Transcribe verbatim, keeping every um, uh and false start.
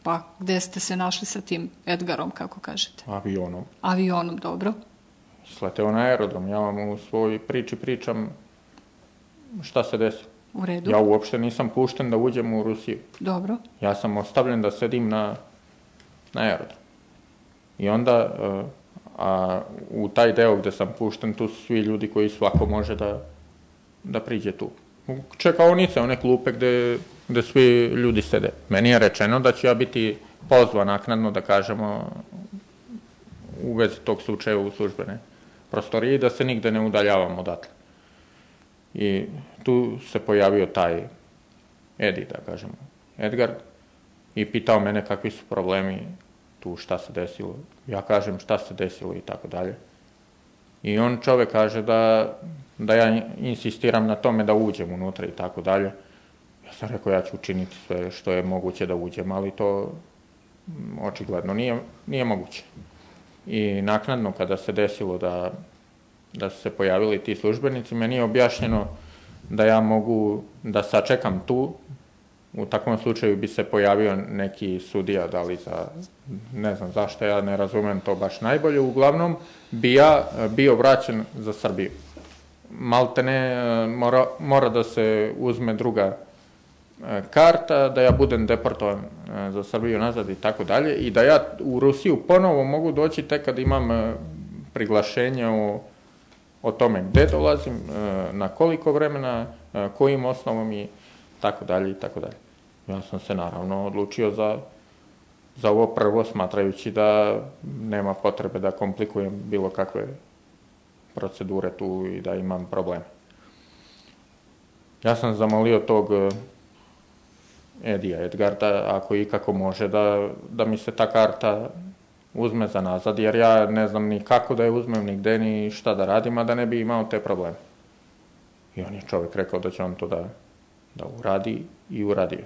Pa gde ste se našli sa tim Edgarom, kako kažete? Avionom. Avionom, dobro. Sleteo na aerodrom. Ja vam u svojoj priči pričam šta se desilo. U redu. Ja uopšte nisam pušten da uđem u Rusiju. Dobro. Ja sam ostavljen da sedim na, na aerodrom. I onda, a u taj deo gde sam pušten, tu su svi ljudi koji svako može da, da priđe tu. Čekaonice, one klupe gde, gde svi ljudi sede. Meni je rečeno da ću ja biti pozvan naknadno, da kažemo, u vezi tog slučaja u službene prostorije i da se nigde ne udaljavam odatle. I tu se pojavio taj Edi, da kažemo, Edgar, i pitao mene kakvi su problemi tu, šta se desilo. Ja kažem šta se desilo i tako dalje. I on čovek kaže da, da ja insistiram na tome da uđem unutra i tako dalje. Ja sam rekao ja ću učiniti sve što je moguće da uđem, ali to očigledno nije, nije moguće. I naknadno kada se desilo da, da su se pojavili ti službenici, meni je objašnjeno da ja mogu da sačekam tu. U takvom slučaju bi se pojavio neki sudija, da li za, ne znam zašto, ja ne razumem to baš najbolje, uglavnom bi ja bio vraćen za Srbiju. Maltene mora, mora da se uzme druga karta, da ja budem deportovan za Srbiju nazad i tako dalje, i da ja u Rusiju ponovo mogu doći tek kad imam priglašenje o, o tome gde dolazim, na koliko vremena, kojim osnovom i tako dalje i tako dalje. Ja sam se naravno odlučio za, za ovo prvo, smatrajući da nema potrebe da komplikujem bilo kakve procedure tu i da imam probleme. Ja sam zamolio tog Edija, Edgarda, ako ikako može, da, da mi se ta karta uzme za nazad, jer ja ne znam ni kako da je uzmem, ni gde, ni šta da radim, a da ne bi imao te probleme. I on je čovjek rekao da će on to da, da uradi i uradio.